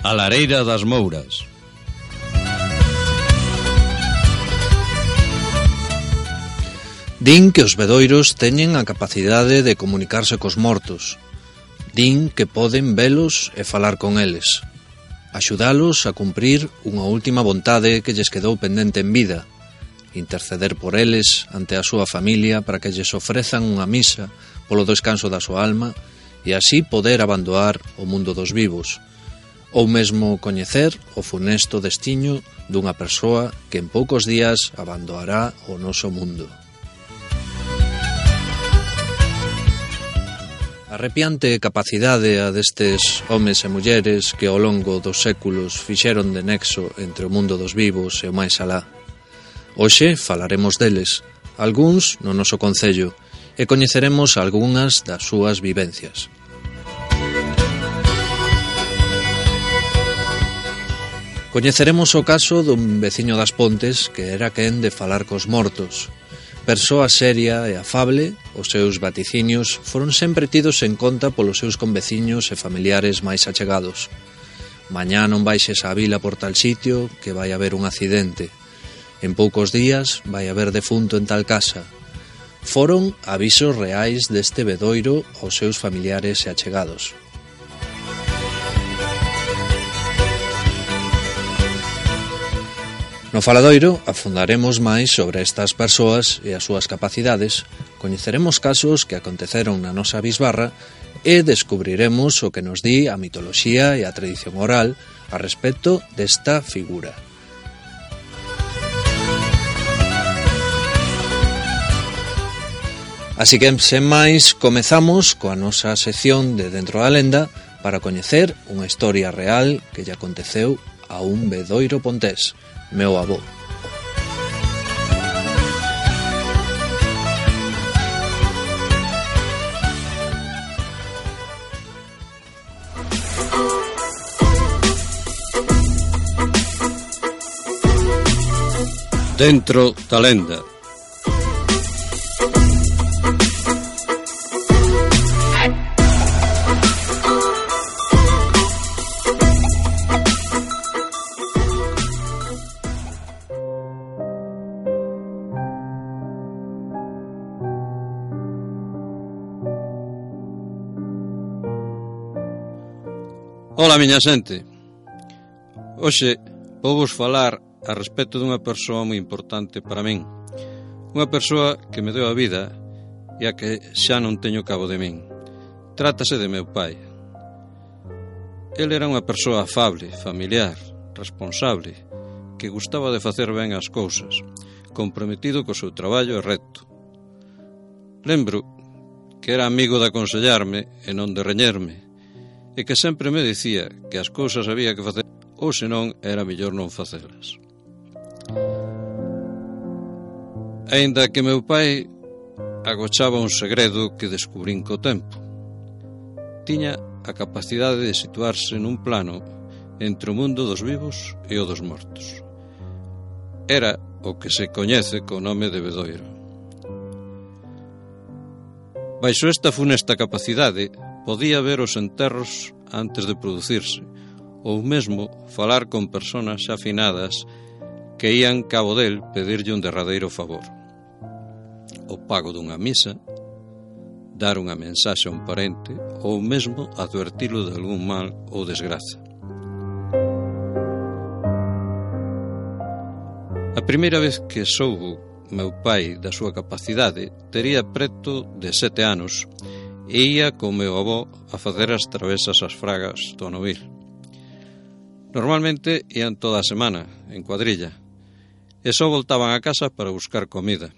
A lareira das Mouras. Din que os vedoiros teñen a capacidade de comunicarse cos mortos. Din que poden velos e falar con eles. Axudalos a cumprir unha última vontade que lles quedou pendente en vida. Interceder por eles ante a súa familia para que lles ofrezan unha misa polo descanso da súa alma e así poder abandonar o mundo dos vivos. Ou mesmo coñecer o funesto destiño dunha persoa que en poucos días abandonará o noso mundo. Arrepiante capacidade a destes homes e mulleres que ao longo dos séculos fixeron de nexo entre o mundo dos vivos e o máis alá. Hoxe falaremos deles, algúns no noso concello, e coñeceremos algunhas das súas vivencias. Coñeceremos o caso dun veciño das Pontes que era quen de falar cos mortos. Persoa seria e afable, os seus vaticinios foron sempre tidos en conta polos seus conveciños e familiares máis achegados. Mañá non baixes á vila por tal sitio que vai haber un accidente. En poucos días vai haber defunto en tal casa. Foron avisos reais deste vedoiro aos seus familiares e achegados. No faladoiro afundaremos máis sobre estas persoas e as súas capacidades, coñeceremos casos que aconteceron na nosa bisbarra e descubriremos o que nos di a mitoloxía e a tradición oral a respecto desta figura. Así que, sen máis, comezamos coa nosa sección de Dentro da Lenda para coñecer unha historia real que lle aconteceu a un vedoiro pontés, meu avó. Dentro da Lenda. Ola, miña xente. Hoxe vou vos falar a respecto dunha persoa moi importante para min. Unha persoa que me deu a vida e a que xa non teño cabo de min. Trátase de meu pai. El era unha persoa afable, familiar, responsable, que gustaba de facer ben as cousas, comprometido co seu traballo e recto. Lembro que era amigo de aconsellarme e non de reñerme, e que sempre me dicía que as cousas había que facer ou senón era mellor non facelas. Aínda que meu pai agochaba un segredo que descubrín co tempo. Tiña a capacidade de situarse nun plano entre o mundo dos vivos e o dos mortos. Era o que se coñece co nome de vedoiro. Baixo esta funesta capacidade podía ver os enterros antes de producirse, ou mesmo falar con persoas xa finadas que ían cabo del pedirlle un derradeiro favor. O pago dunha misa, dar unha mensaxe a un parente ou mesmo advertilo de algún mal ou desgraza. A primeira vez que soubo meu pai da súa capacidade tería preto de 7 anos e ia con meu avó a facer as travesas ás fragas do Novil. Normalmente ían toda a semana, en cuadrilla, e só voltaban a casa para buscar comida.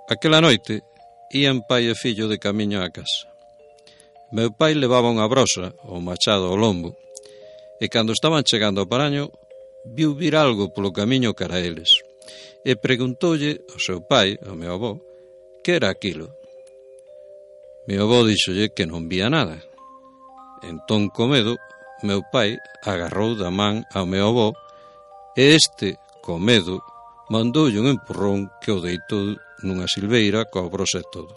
Aquela noite, ían pai e fillo de camiño á casa. Meu pai levaba unha brosa, ou machado ao lombo, e cando estaban chegando ao paraño, viu vir algo polo camiño cara a eles, e preguntoulle ao seu pai, ao meu avó, que era aquilo. Meu avó díxolle que non vía nada. Entón, co medo, meu pai agarrou da man ao meu avó e este, co medo, mandoulle un empurrón que o deitou nunha silveira coa brose e todo.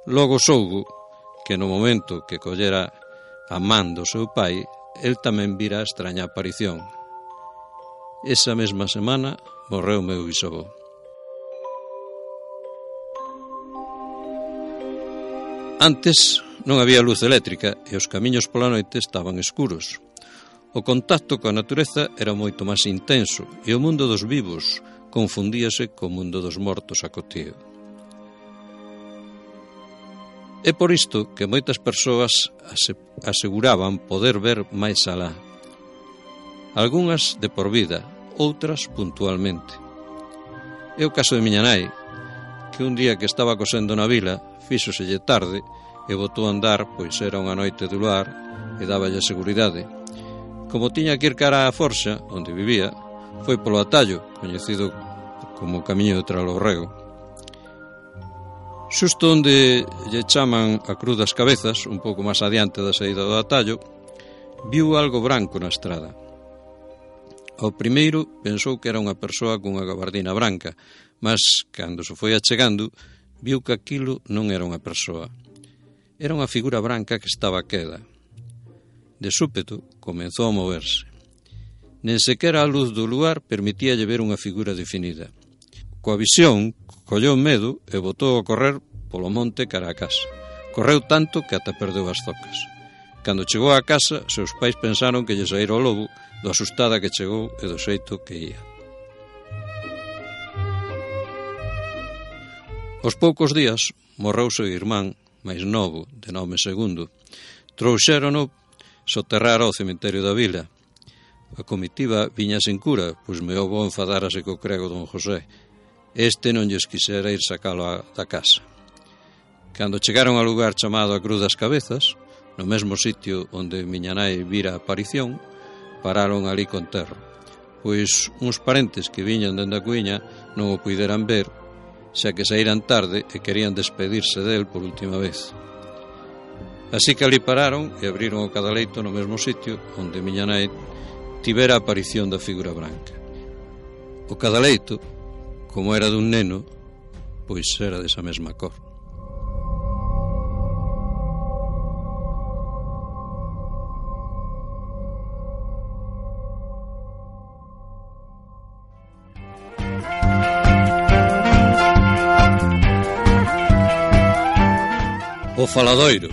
Logo soubo que no momento que collera a man do seu pai, el tamén vira a extraña aparición. Esa mesma semana morreu meu bisavó. Antes non había luz eléctrica e os camiños pola noite estaban escuros. O contacto coa natureza era moito máis intenso e o mundo dos vivos confundíase co mundo dos mortos a coteo. É por isto que moitas persoas aseguraban poder ver máis alá. Algunhas de por vida, outras puntualmente. É o caso de miña nai, que un día que estaba cosendo na vila, fíxoselle tarde e botou a andar, pois era unha noite de luar e dáballe seguridade. Como tiña que ir cara á Forxa, onde vivía, foi polo atallo, coñecido como Camiño de Tralorrego. Xusto onde lle chaman a Cruz das Cabezas, un pouco máis adiante da saída do atallo, viu algo branco na estrada. Ao primeiro pensou que era unha persoa cunha gabardina branca, mas, cando se foi achegando, viu que aquilo non era unha persoa. Era unha figura branca que estaba queda. De súpeto, comezou a moverse. Nen sequera a luz do luar permitíalle ver unha figura definida. Coa visión, colleu medo e botou a correr polo monte cara a casa. Correu tanto que ata perdeu as zocas. Cando chegou á casa, seus pais pensaron que lle saíra o lobo do asustada que chegou e do xeito que ía. Aos poucos días morreu seu irmán máis novo, de nome Segundo. Trouxérono soterrar ao cemiterio da vila. A comitiva viña sen cura, pois meu avó enfadárase co crego don José. Este non lles quixera ir sacalo da casa. Cando chegaron ao lugar chamado a Cruz das Cabezas, no mesmo sitio onde miña nai vira a aparición, pararon ali con terra, pois uns parentes que viñan dende a cuiña non o puideran ver, xa que saíran tarde e querían despedirse del por última vez. Así que ali pararon e abriron o cadaleito no mesmo sitio onde miña nai tivera a aparición da figura branca. O cadaleito, como era dun neno, pois era desa mesma cor. O faladoiro.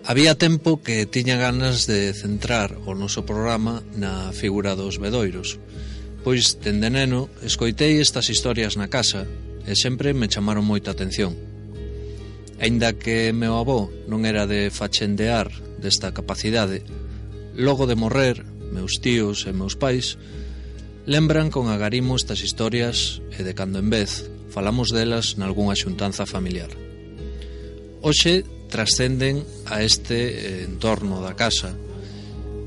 Había tempo que tiña ganas de centrar o noso programa na figura dos bedoiros, pois, dende neno, escoitei estas historias na casa e sempre me chamaron moita atención. Aínda que meu avó non era de fachendear desta capacidade, logo de morrer, meus tíos e meus pais lembran con agarimo estas historias e de cando en vez falamos delas nalgunha xuntanza familiar. Hoxe trascenden a este entorno da casa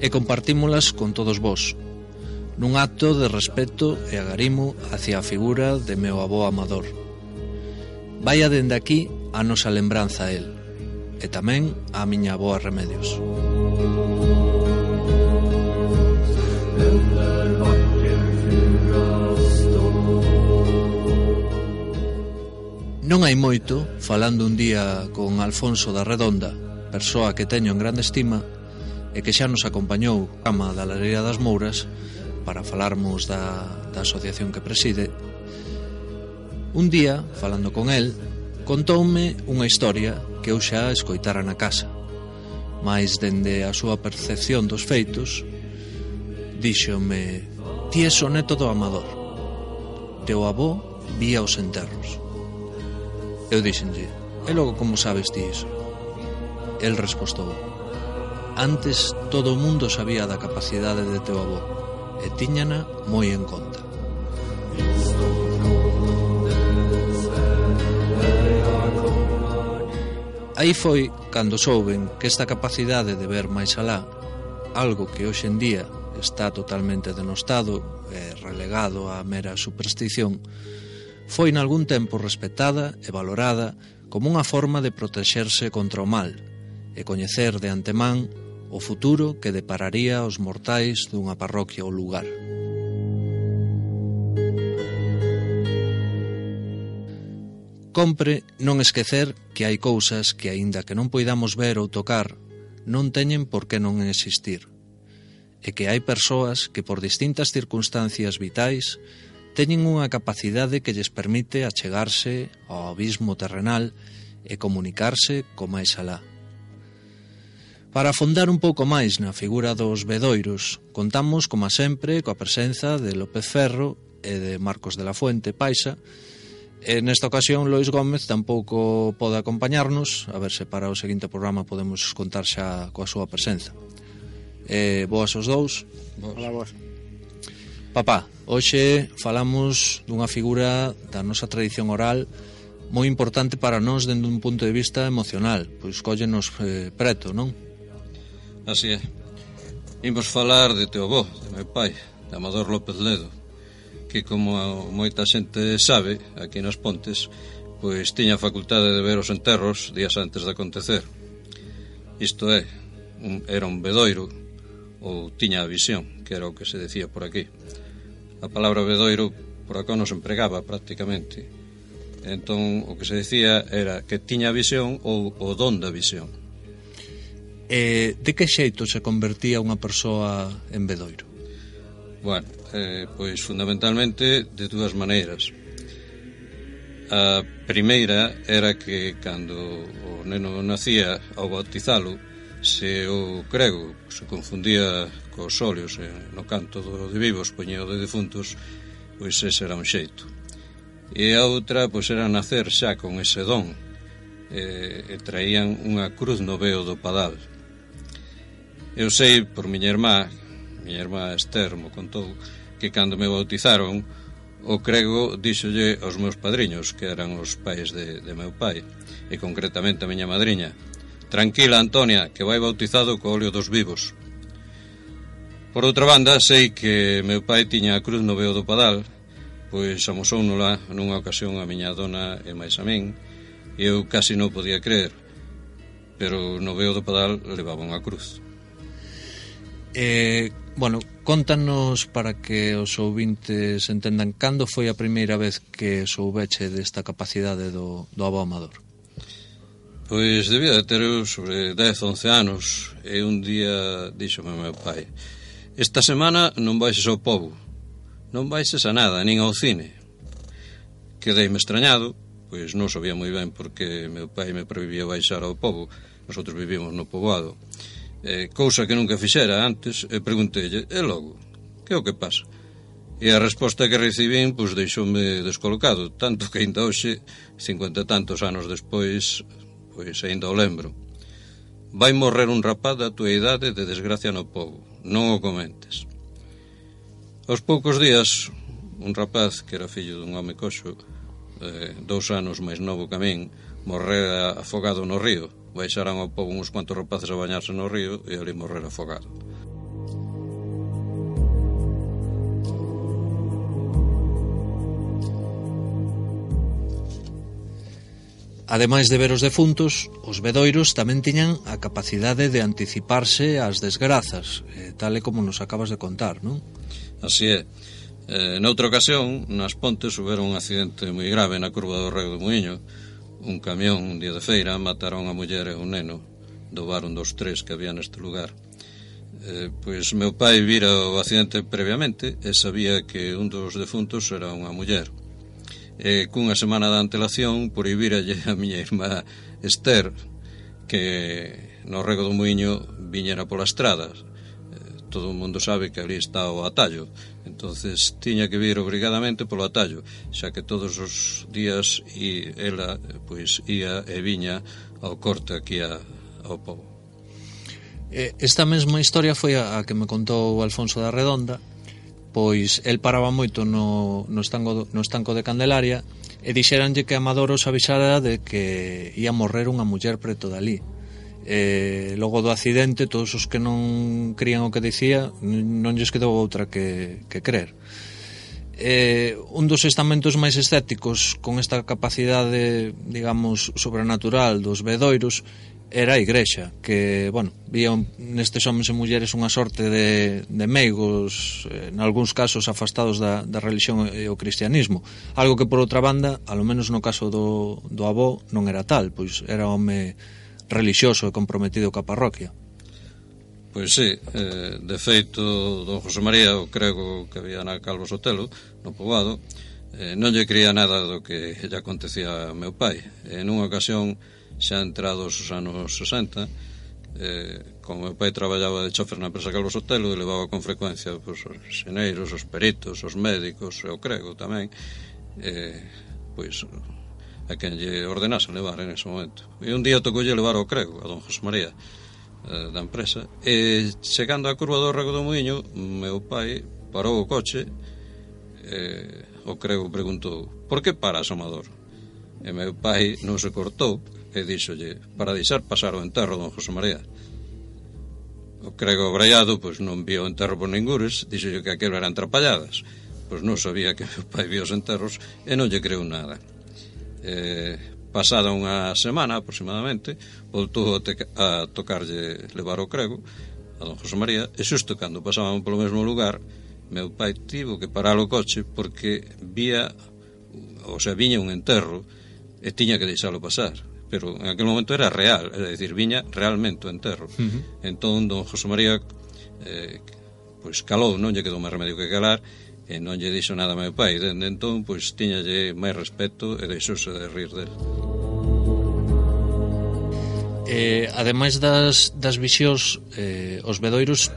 e compartímolas con todos vós, nun acto de respeto e agarimo hacia a figura de meu avó amador. Vaia dende aquí a nosa lembranza a el, e tamén a miña avoa Remedios. Non hai moito, falando un día con Alfonso da Redonda, persoa que teño en grande estima e que xa nos acompañou á cama da Lareira das Mouras para falarmos da asociación que preside. Un día, falando con el, contoume unha historia que eu xa escoitara na casa, mais dende a súa percepción dos feitos, díxome: ti és o neto do Amador. Teu avó vía os enterros. Eu dixenlle: e logo como sabes ti iso? El respostou: antes todo o mundo sabía da capacidade de teu avó e tiñana moi en conta. Aí foi cando souben que esta capacidade de ver máis alá, algo que hoxe en día está totalmente denostado e relegado á mera superstición, foi nalgún tempo respetada e valorada como unha forma de protexerse contra o mal e coñecer de antemán o futuro que depararía aos mortais dunha parroquia ou lugar. Compre non esquecer que hai cousas que, aínda que non poidamos ver ou tocar, non teñen por que non existir, e que hai persoas que por distintas circunstancias vitais teñen unha capacidade que lles permite achegarse ao abismo terrenal e comunicarse co máis alá. Para afondar un pouco máis na figura dos bedoiros, contamos, como sempre, coa presenza de López Ferro e de Marcos de la Fuente Paixa. E nesta ocasión Lois Gómez tampouco pode acompañarnos, a ver se para o seguinte programa podemos contar xa coa súa presenza. Boas os dous. Hola, vos. Papá, hoxe falamos dunha figura da nosa tradición oral moi importante para nós dende un punto de vista emocional, pois cóllenos preto, non? Así é. Imos falar de teu avó, de meu pai, de Amador López Ledo, que, como moita xente sabe, aquí nas Pontes, pois tiña a facultade de ver os enterros días antes de acontecer. Isto é, era un bedoiro, ou tiña a visión, que era o que se decía por aquí. A palabra bedoiro por acá non se empregaba prácticamente. Entón, o que se decía era que tiña a visión ou o don da visión. De que xeito se convertía unha persoa en bedoiro? Bueno, pois fundamentalmente de dúas maneiras. A primeira era que cando o neno nacía, ao bautizalo, se o crego se confundía cos óleos no canto de vivos, poñía o de defuntos, pois ese era un xeito. E a outra, pois era nacer xa con ese don, e traían unha cruz no veo do padal. Eu sei por miña irmá Esther mo contou, que cando me bautizaron, o crego díxolle aos meus padriños, que eran os pais de meu pai, e concretamente a miña madriña: tranquila, Antonia, que vai bautizado co óleo dos vivos. Por outra banda, sei que meu pai tiña a cruz no veo do padal, pois amosounola nunha ocasión a miña dona e máis a min, e eu casi non podía creer, pero no veo do padal levaba unha cruz. Bueno, contanos para que os ouvintes entendan cando foi a primeira vez que soubeche desta capacidade do avó Amador. Pois debía de ter eu sobre 10, 11 anos, e un día díxome meu pai: esta semana non baixes ao pobo, non baixes a nada, nin ao cine. Quedeime extrañado, pois non sabía moi ben porque meu pai me prohibía baixar ao pobo. Nosotros vivíamos no poboado, cousa que nunca fixera antes, e pregunteille: e logo, que é o que pasa? E a resposta que recibín, pois deixoume descolocado, tanto que ainda hoxe, 50 e tantos anos despois, pois ainda o lembro. Vai morrer un rapaz da tua idade de desgracia no pobo, non o comentes. Aos poucos días, un rapaz que era fillo dun home coxo, 2 anos máis novo que a min, morrera afogado no río. Baixaran ao pobo uns cuantos rapaces a bañarse no río e ali morrer afogado. Ademais de ver os defuntos, os bedoiros tamén tiñan a capacidade de anticiparse ás desgrazas, tal e como nos acabas de contar, non? Así é. Noutra ocasión, nas Pontes, houbera un accidente moi grave na curva do Rego do Muiño. Un camión, un día de feira, mataron a muller e un neno. Dobaron 2, 3 que había neste lugar. Pois meu pai vira o accidente previamente e sabía que un dos defuntos era unha muller. E cunha semana de antelación prohibíralle a miña irmá Esther que no Rego do Muiño viñera pola estrada. Todo o mundo sabe que ali está o atallo, entonces tiña que vir obrigadamente polo atallo, xa que todos os días ela pois ia e viña ao corte aquí ao pobo. Esta mesma historia foi a que me contou Alfonso da Redonda, pois el paraba moito no estanco de Candelaria e dixéranlle que Amador os avisara de que ia morrer unha muller preto dali. Logo do accidente, todos os que non crían o que dicía non lles quedou outra que crer. Un dos estamentos máis escépticos con esta capacidade, digamos, sobrenatural dos vedoiros era a Igrexa, que, bueno, vía nestes homens e mulleres unha sorte de meigos, en algúns casos afastados da religión e o cristianismo, algo que, por outra banda, alo menos no caso do avó, non era tal, pois era home relixioso e comprometido coa parroquia. Pois sí, de feito, don José María, o crego que había na Calvo Sotelo, no poboado, non lle creía nada do que lle acontecía ao meu pai. En unha ocasión, xa entrados os anos 60, como meu pai traballaba de chofer na empresa Calvo Sotelo e levaba con frecuencia os xeneiros, os peritos, os médicos e o crego tamén, pois a quen lle ordenase levar en ese momento. E un día tocoulle levar ao crego, a don José María, da empresa, e chegando á curva do Rego do Muiño, meu pai parou o coche, o crego preguntou: por que paras, amador? E meu pai non se cortou e díxolle: para deixar pasar o enterro, don José María. O crego braiado, pois non vio o enterro por ningures, díxolle que aquelo eran trapalladas, pois non sabía que meu pai vio os enterros e non lle creu nada. Pasada unha semana aproximadamente, voltou a tocarlle levar o crego a don José María, e xusto cando pasaban polo mesmo lugar, meu pai tivo que parar o coche porque viña un enterro e tiña que deixalo pasar, pero en aquel momento era real, é dicir, viña realmente o enterro. Entón don José María pois calou, non lle quedou máis remedio que calar, e non lle dixo nada a meu pai. Dende entón, pois tiñalle máis respeto e deixouse de rir del. Ademais das visións, os vedoiros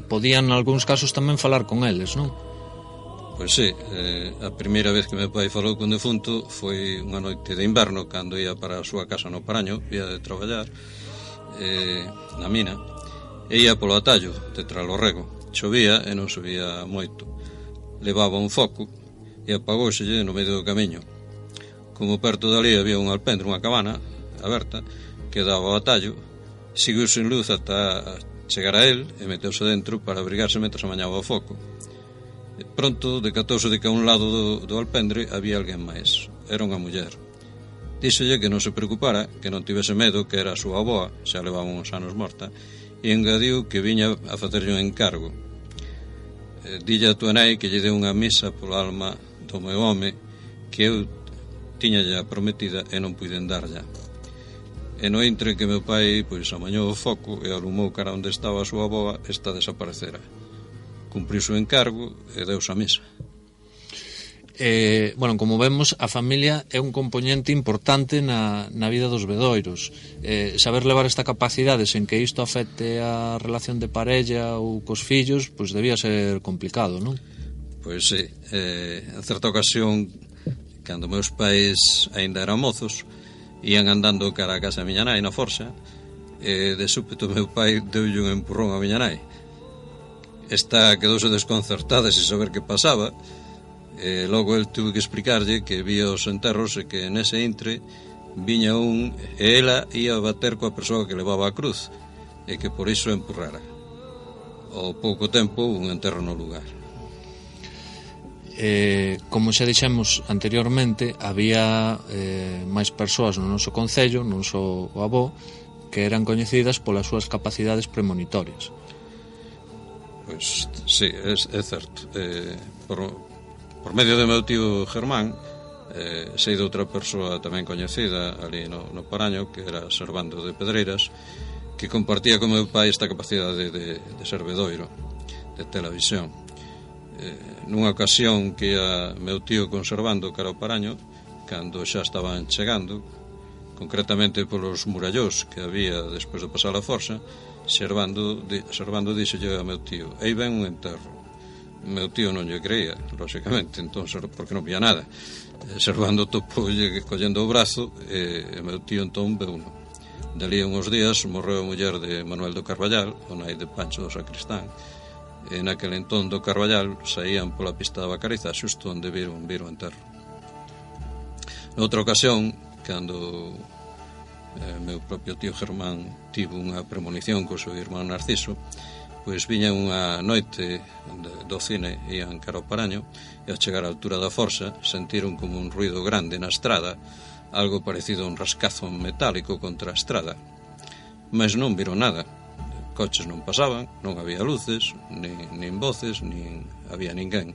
podían, nalgúns casos, tamén falar con eles, non? Pois sí, a primeira vez que meu pai falou con defunto foi unha noite de inverno, cando ia para a súa casa no Paraño, ia de traballar na mina, e ia polo atallo de Tralo Rego. Chovía e non subía moito. Levaba un foco e apagóselle no medio do camiño. Como perto dali había un alpendre, unha cabana aberta que daba ao atallo, seguiu sen luz ata chegar a él e meteuse dentro para abrigarse mentre amañaba o foco. Pronto decatouse de que a un lado do alpendre había alguén máis. Era unha muller. Díxolle que non se preocupara, que non tivese medo, que era a súa avoa, xa levaba uns anos morta, e engadiu que viña a facerlle un encargo. Dille a tua nai que lle deu unha misa pola alma do meu home, que eu tiña ya prometida e non puiden darlla. E no intre que meu pai pois amañou o foco e alumou cara onde estaba a súa avoa, esta desaparecera. Cumpriu o encargo e deuse a misa. Bueno, como vemos, a familia é un componente importante na vida dos vedoiros. Saber levar esta capacidade sen que isto afecte a relación de parella ou cos fillos, pois debía ser complicado, non? Pois sí, en certa ocasión, cando meus pais aínda eran mozos, ían andando cara a casa da miña nai na forxa, e de súpeto meu pai deulle un empurrón a miña nai. Esta quedouse desconcertada sen saber que pasaba, e logo el tuve que explicarlle que vía os enterros e que nese intre viña un e ela ia bater coa persoa que levaba a cruz e que por iso empurrara. Ao pouco tempo un enterro no lugar. Como xa dixemos anteriormente, había máis persoas no noso concello, non só o avó, que eran coñecidas polas súas capacidades premonitorias. Pois sí, é certo. Por medio do meu tío Germán, sei de outra persoa tamén coñecida ali no Paraño, que era Servando de Pedreiras, que compartía con meu pai esta capacidade de ser vedoiro, de televisión. Nunha ocasión que ia meu tío conservando cara ao Paraño, cando xa estaban chegando, concretamente polos murallós que había despois de pasar a forxa, Servando díxolle a meu tío: aí ven un enterro. Meu tío non lle creía, lóxicamente, entón, porque non vía nada. Servando topoulle collendo o brazo e meu tío entón veu uno. Dalí uns días morreu a muller de Manuel do Carballal, o nai de Pancho do Sacristán, e naquel entón do Carballal saían pola pista da Bacariza, xusto onde viron o enterro. Noutra ocasión, cando meu propio tío Germán tivo unha premonición co seu irmán Narciso, pois viña unha noite do cine, ian cara ao Paraño, e ao chegar á altura da Forxa sentiron como un ruido grande na estrada, algo parecido a un rascazo metálico contra a estrada, mas non viron nada. Coches non pasaban, non había luces, nin voces, nin había ninguén.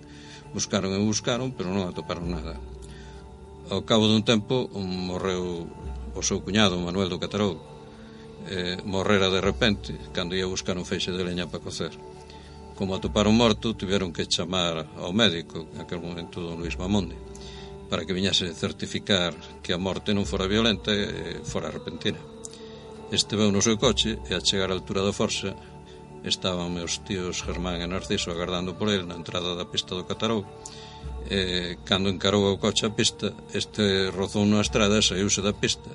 Buscaron e buscaron, pero non atoparon nada. Ao cabo dun tempo morreu o seu cuñado, Manuel do Catarou. Morrera de repente cando ia buscar un feixe de leña para cocer. Como atoparon morto, tiveron que chamar ao médico, en aquel momento don Luis Mamonde, para que viñase certificar que a morte non fora violenta e fora repentina. Este veu no seu coche e a chegar á altura da Forxa estaban meus tíos Germán e Narciso agardando por ele na entrada da pista do Catarou. Cando encarou o coche a pista, este rozou na estrada e saíuse da pista,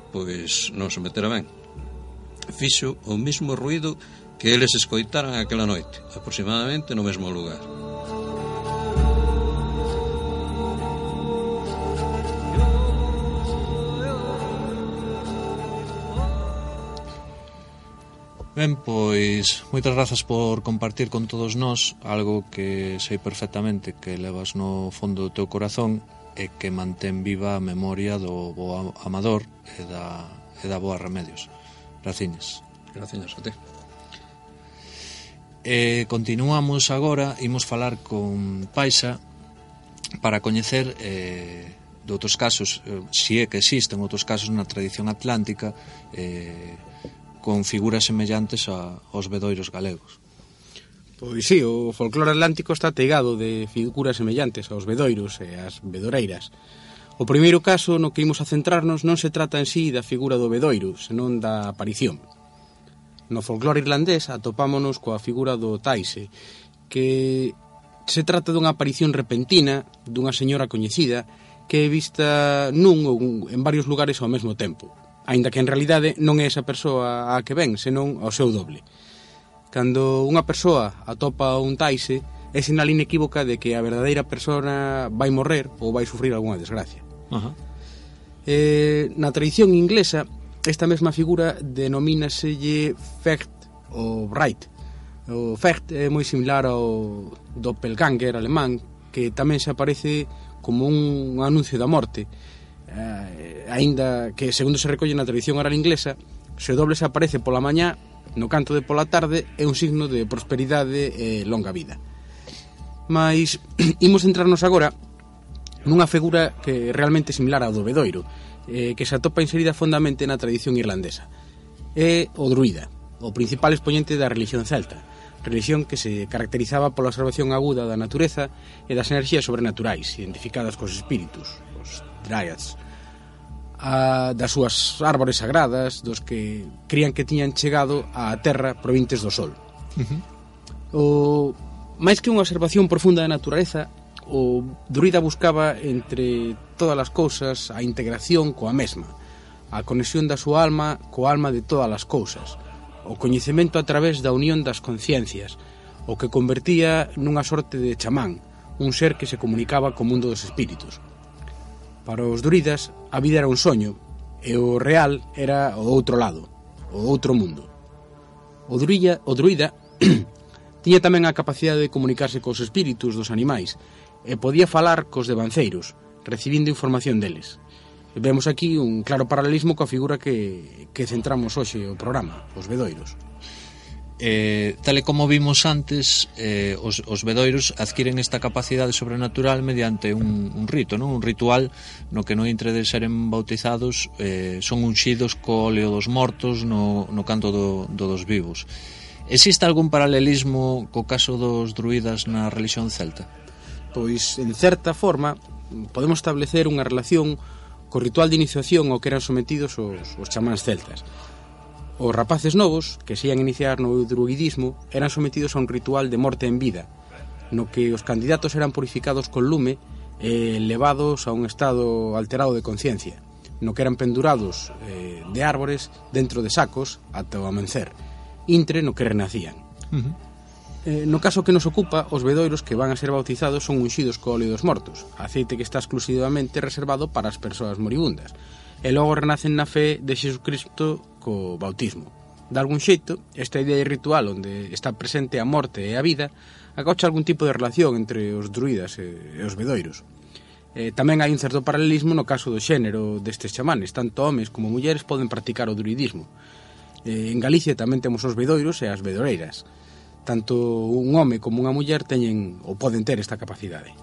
pois non se metera ben. Fixo o mesmo ruído que eles escoitaran aquela noite, aproximadamente no mesmo lugar. Ben, pois, moitas grazas por compartir con todos nós algo que sei perfectamente que levas no fondo do teu corazón e que mantén viva a memoria do bo Amador e da boa Remedios. Graciñas. Graciñas a ti. Continuamos agora, imos falar con Paixa para coñecer de outros casos, se é que existen outros casos na tradición atlántica con figuras semellantes aos vedoiros galegos. Pois sí, o folclore atlántico está teigado de figuras semellantes aos vedoiros e ás vedoreiras. O primeiro caso no que imos a centrarnos non se trata en sí da figura do vedoiro, senón da aparición. No folclore irlandés atopámonos coa figura do taise, que se trata dunha aparición repentina dunha señora coñecida que é vista nun ou en varios lugares ao mesmo tempo, aínda que en realidade non é esa persoa a que ven, senón ao seu doble. Cando unha persoa atopa un taise, é sinal inequívoca de que a verdadeira persona vai morrer ou vai sufrir algunha desgracia. Na tradición inglesa, esta mesma figura denomínaselle Fecht ou Bright. O Fecht é moi similar ao doppelganger alemán, que tamén se aparece como un anuncio da morte, aínda que, segundo se recolle na tradición oral inglesa, se o doble se aparece pola mañá, no canto de pola tarde, é un signo de prosperidade e longa vida. Mas imos centrarnos agora nunha figura que é realmente similar ao do vedoiro, que se atopa inserida fondamente na tradición irlandesa. É o druida, o principal expoñente da religión celta, religión que se caracterizaba pola observación aguda da natureza e das enerxías sobrenaturais, identificadas cos espíritus, os dryads, das súas árbores sagradas, dos que crían que tiñan chegado á terra provintes do sol. Máis que unha observación profunda da natureza, o druida buscaba entre todas as cousas a integración coa mesma, a conexión da súa alma coa alma de todas as cousas, o coñecemento a través da unión das conciencias, o que convertía nunha sorte de chamán, un ser que se comunicaba co mundo dos espíritus. Para os druidas, a vida era un soño, e o real era o outro lado, o outro mundo. O druida tiña tamén a capacidade de comunicarse cos espíritus dos animais, e podía falar cos devanceiros, recibindo información deles. E vemos aquí un claro paralelismo coa figura que centramos hoxe o programa, os vedoiros. Tal e como vimos antes, os vedoiros adquiren esta capacidade sobrenatural mediante un rito, non? Un ritual no que no intre de seren bautizados son unxidos co óleo dos mortos no canto dos vivos. Existe algún paralelismo co caso dos druidas na religión celta? Pois, en certa forma, podemos establecer unha relación co ritual de iniciación ao que eran sometidos os chamáns celtas. Os rapaces novos, que se ian iniciar no druidismo, eran sometidos a un ritual de morte en vida, no que os candidatos eran purificados con lume e levados a un estado alterado de conciencia, no que eran pendurados de árbores dentro de sacos ata o amencer, intre no que renacían. No caso que nos ocupa, os vedoiros que van a ser bautizados son unxidos co óleo dos mortos, aceite que está exclusivamente reservado para as persoas moribundas, e logo renacen na fe de Xesucristo co bautismo. De algún xeito, esta idea ritual onde está presente a morte e a vida acocha algún tipo de relación entre os druidas e os bedoiros. Tamén hai un certo paralelismo no caso do xénero destes chamanes. Tanto homes como mulleres poden practicar o druidismo. En Galicia tamén temos os bedoiros e as bedoreiras. Tanto un home como unha muller teñen ou poden ter esta capacidade.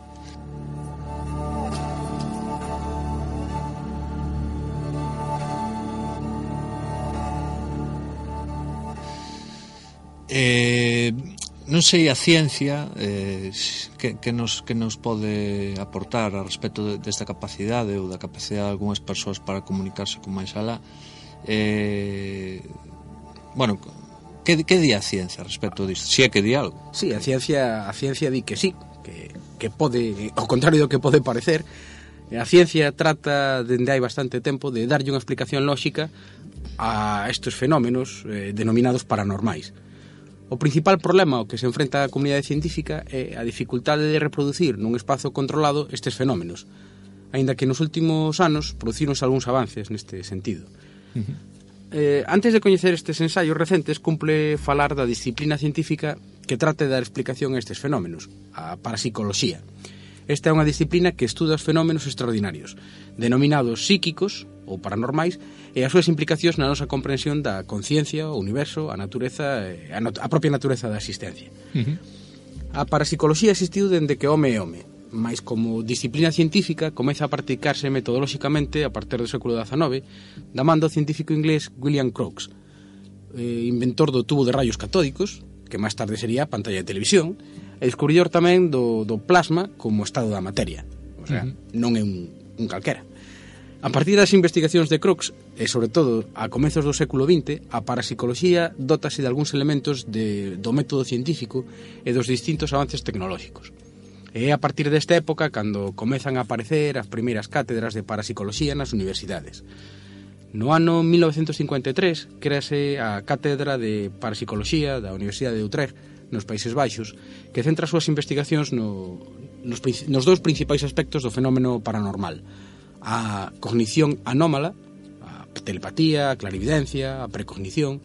Non sei a ciencia que nos pode aportar a respecto desta capacidade ou da capacidade de algunhas persoas para comunicarse con máis alá. Bueno, que di a ciencia a respecto disto? Si é que di algo? Sí, a ciencia di que sí, que pode, ao contrario do que pode parecer, a ciencia trata dende hai bastante tempo de darlle unha explicación lóxica a estes fenómenos denominados paranormais. O principal problema ao que se enfrenta a comunidade científica é a dificultade de reproducir nun espazo controlado estes fenómenos, aínda que nos últimos anos producironse algúns avances neste sentido. Antes de coñecer estes ensaios recentes, cumple falar da disciplina científica que trate de dar explicación a estes fenómenos, a parapsicoloxía. Esta é unha disciplina que estuda os fenómenos extraordinarios, denominados psíquicos ou paranormais, e as súas implicacións na nosa comprensión da conciencia, o universo, a natureza, a propia natureza da existencia. A parapsicoloxía existiu dende que home é home, mas como disciplina científica comeza a practicarse metodolóxicamente a partir do século XIX, da man do científico inglés William Crookes, inventor do tubo de rayos catódicos, que máis tarde sería a pantalla de televisión, e descubridor tamén do plasma como estado da materia. O sea, non é un calquera. A partir das investigacións de Crookes, e sobre todo a comezos do século XX, a parapsicoloxía dótase de algúns elementos do método científico e dos distintos avances tecnolóxicos. E é a partir desta época cando comezan a aparecer as primeiras cátedras de parapsicoloxía nas universidades. No ano 1953 créase a Cátedra de Parapsicoloxía da Universidade de Utrecht, nos Países Baixos, que centra as súas investigacións nos dous principais aspectos do fenómeno paranormal: a cognición anómala, a telepatía, a clarividencia, a precognición,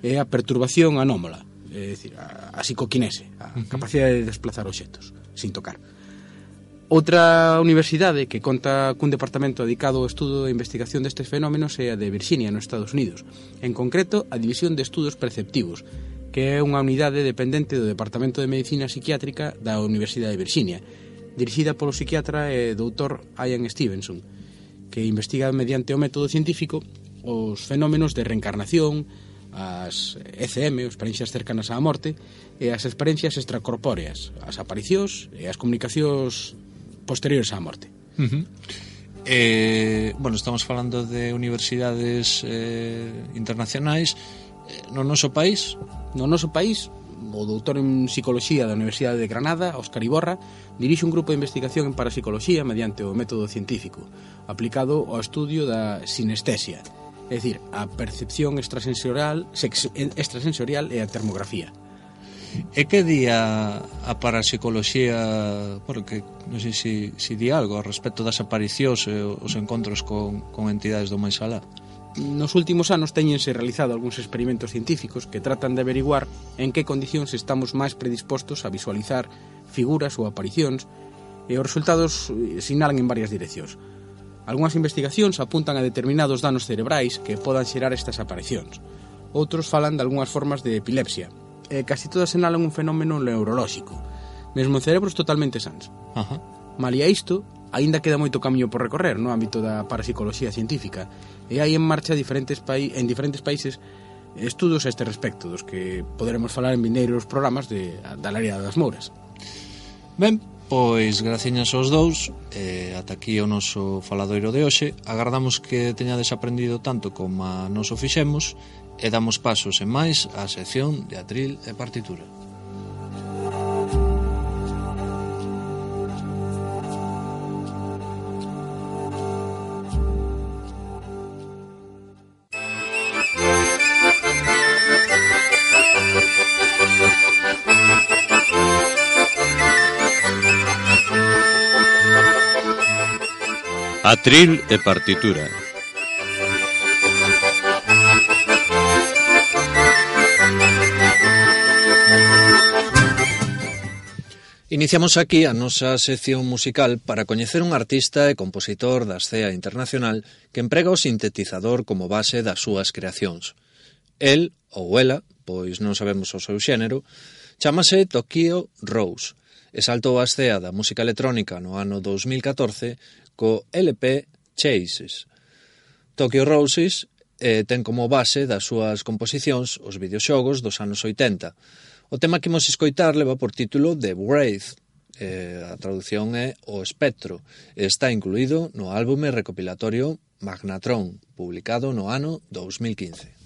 e a perturbación anómala, é dicir, a psicoquinese, a capacidade de desplazar obxectos sin tocar. Outra universidade que conta cun departamento dedicado ao estudo e investigación destes fenómenos é a de Virginia, nos Estados Unidos, en concreto a División de Estudos Perceptivos, que é unha unidade dependente do Departamento de Medicina Psiquiátrica da Universidade de Virginia, dirixida polo psiquiatra e doutor Ian Stevenson, que investiga mediante o método científico os fenómenos de reencarnación, as ECM, as experiencias cercanas á morte, e as experiencias extracorpóreas, as aparicións e as comunicacións posteriores á morte. Bueno, estamos falando de universidades internacionais. No noso país, o doutor en psicoloxía da Universidade de Granada, Óscar Iborra, dirixe un grupo de investigación en parapsicoloxía mediante o método científico, aplicado ao estudio da sinestesia, é dicir, a percepción extrasensorial e a termografía. E que di a parapsicoloxía, porque non sei se di algo ao respecto das aparicións e os encontros con entidades do máis alá? Nos últimos anos teñense realizado algúns experimentos científicos que tratan de averiguar en que condicións estamos máis predispostos a visualizar figuras ou aparicións, e os resultados sinalan en varias direccións. Algúnas investigacións apuntan a determinados danos cerebrais que podan xerar estas aparicións. Outros falan de algunhas formas de epilepsia, e casi todas sinalan un fenómeno neurolóxico, mesmo en cerebros totalmente sans. Malia isto, aínda queda moito camiño por recorrer no ámbito da parapsicoloxía científica, e hai en marcha en diferentes países estudos a este respecto, dos que poderemos falar en vindeiros programas da área das Mouras. Ben, pois graciñas aos dous, ata aquí o noso faladoiro de hoxe. Agardamos que teñades aprendido tanto como a nos o fixemos, e damos pasos en máis á sección de atril e partitura. Atril e partitura. Iniciamos aquí a nosa sección musical para coñecer un artista e compositor da escena internacional que emprega o sintetizador como base das súas creacións. El, ou ela, pois non sabemos o seu xénero, chámase Tokyo Rose e saltou a escena da música electrónica no ano 2014 co LP Chases. Tokyo Roses ten como base das súas composicións os videoxogos dos anos 80. O tema que imos escoitar leva por título The Wraith, a traducción é O Espectro, e está incluído no álbume recopilatorio Magnatron, publicado no ano 2015.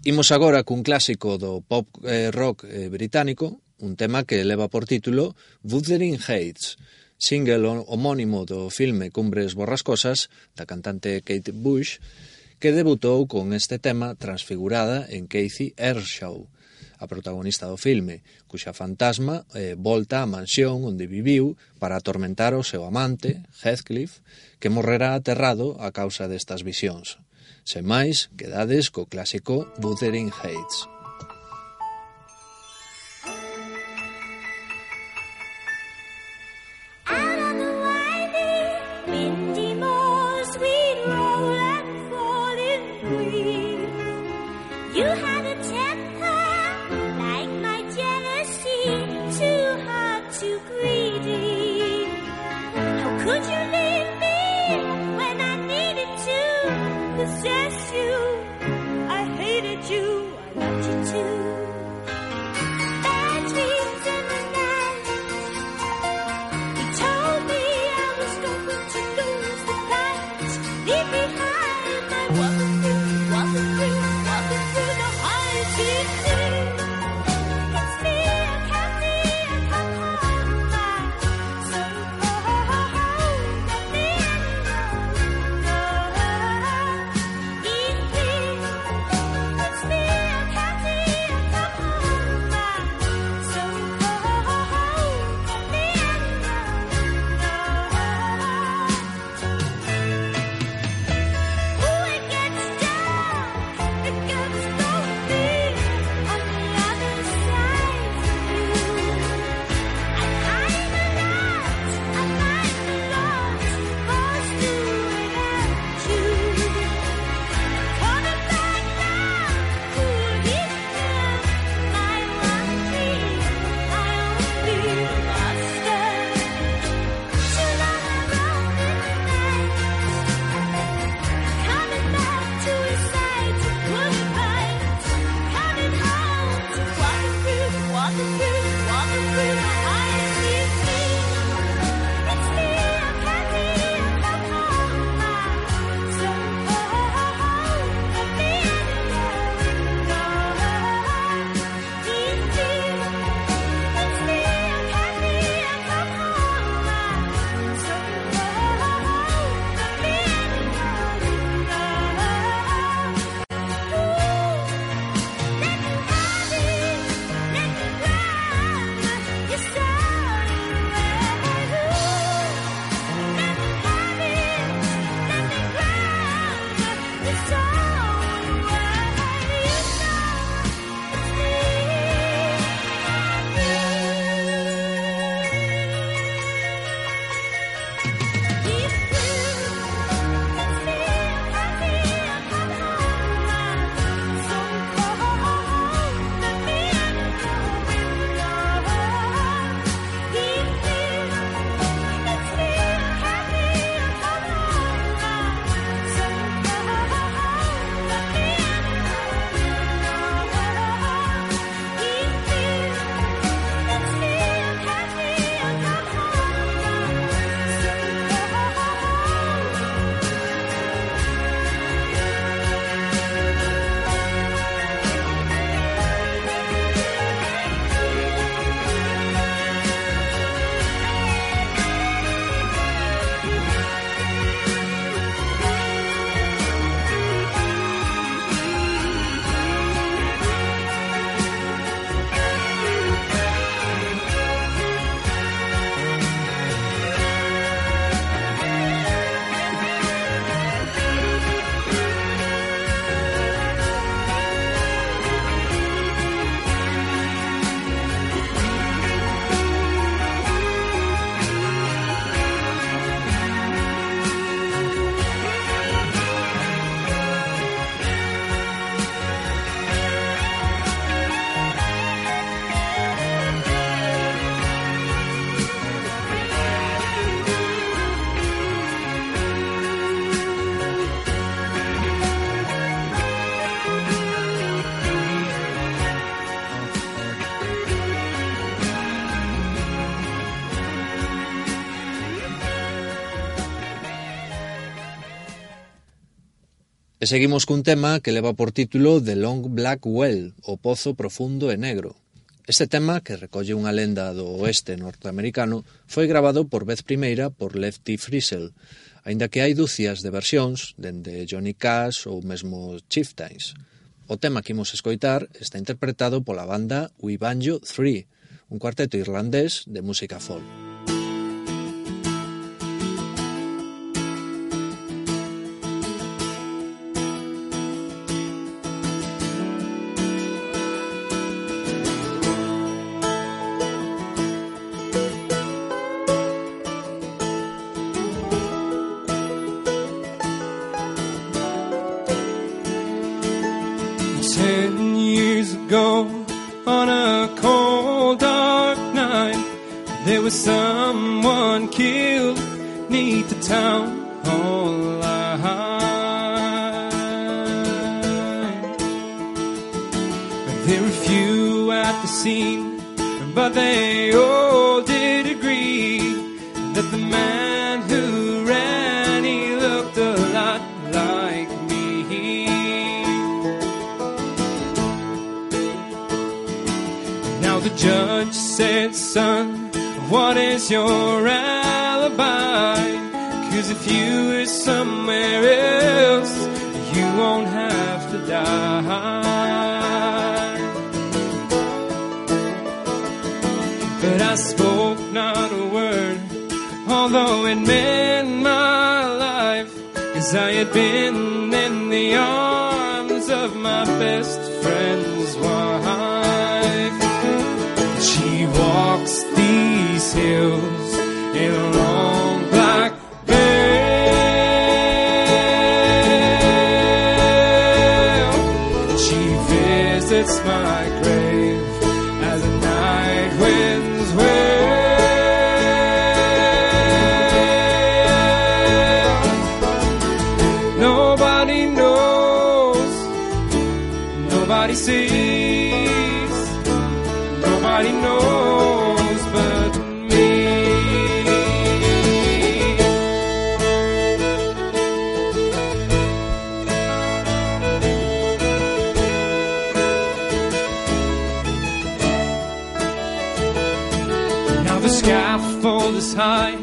Imos agora cun clásico do pop rock británico, un tema que leva por título Wuthering Heights, single homónimo do filme Cumbres Borrascosas da cantante Kate Bush, que debutou con este tema transfigurada en Cathy Ershaw, a protagonista do filme, cuxa fantasma volta á mansión onde viviu para atormentar o seu amante, Heathcliff, que morrerá aterrado a causa destas visións. Sen máis, quedades co clásico Wuthering Heights. Possess you, I hated you, I loved you E seguimos cun tema que leva por título The Long Black Well, o Pozo Profundo e Negro. Este tema, que recolle unha lenda do oeste norteamericano, foi grabado por vez primeira por Lefty Frizzell, aínda que hai dúcias de versións, dende Johnny Cash ou mesmo Chieftains. O tema que imos escoitar está interpretado pola banda We Banjo 3, un cuarteto irlandés de música folk. On a cold dark night, there was someone killed neath the town hall line. There were few at the scene, but they all did agree that the man who ran, he looked a lot like me. The judge said, son, what is your alibi? 'Cause if you were somewhere else, you won't have to die. But I spoke not a word, although it meant my life, 'cause I had been in the arms of my best friend's wife. She walks these hills in a long black veil. She visits my grave as the night winds wail. Nobody knows, nobody sees, nobody knows but me. Now the scaffold is high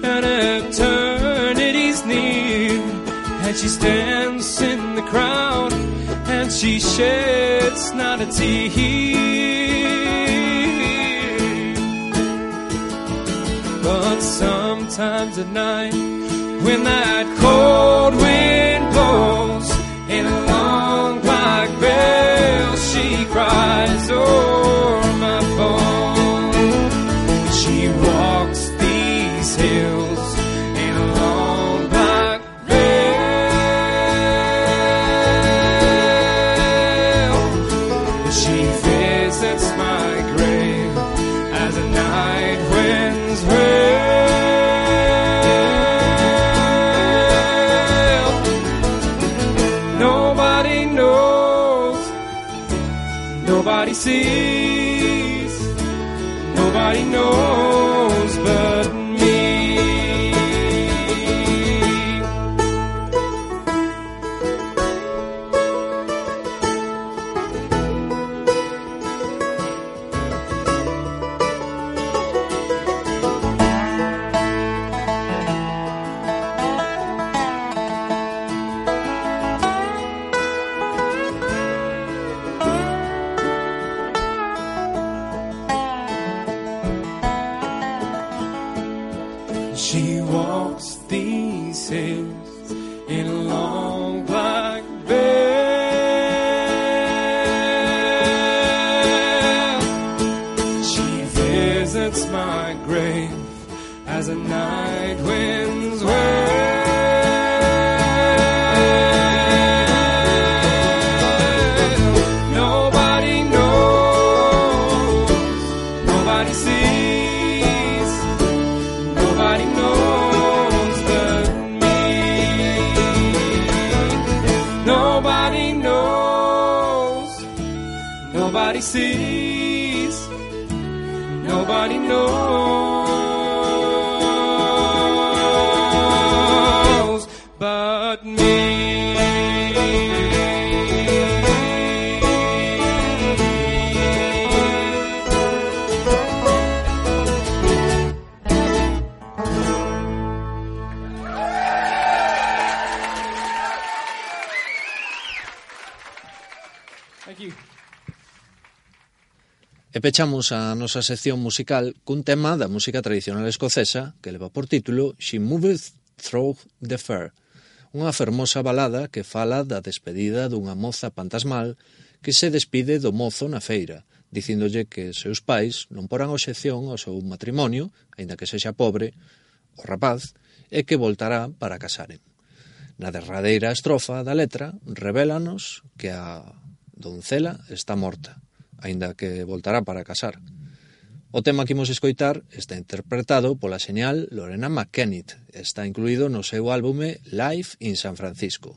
and eternity's near, and she stands in the crowd and she sheds not a tear. But sometimes at night, when that cold wind blows in a long black veil, she cries o'er my phone. She walks these hills in a long black veil. She visits my grave as the night winds wail. Nobody knows, nobody sees, nobody knows but me. She walks these hills in a long black veil. She visits my grave as the night winds wail. Nobody knows, nobody sees, nobody knows but me. Nobody knows, nobody sees, nobody knows but me. pechamos a nosa sección musical cun tema da música tradicional escocesa que leva por título She Moveth Through the Fair, unha fermosa balada que fala da despedida dunha moza fantasmal que se despide do mozo na feira, dicíndolle que seus pais non porán obxección ao seu matrimonio, aínda que sexa pobre, o rapaz, e que voltará para casaren. Na derradeira estrofa da letra revélanos que a doncela está morta, aínda que voltará para casar. O tema que imos escoitar está interpretado pola señal Lorena McKennitt, está incluído no seu álbume Live in San Francisco.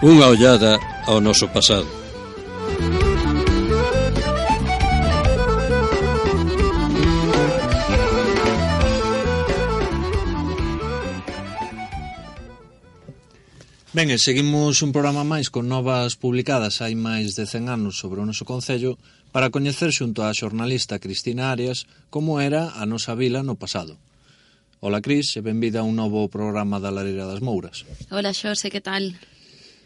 unha ollada ao noso pasado. Ben, e seguimos un programa máis con novas publicadas hai máis de 100 anos sobre o noso concello para coñecer xunto á xornalista Cristina Arias como era a nosa vila no pasado. Ola, Cris, e benvida a un novo programa da Lareira das Mouras. Hola, Xose, que tal?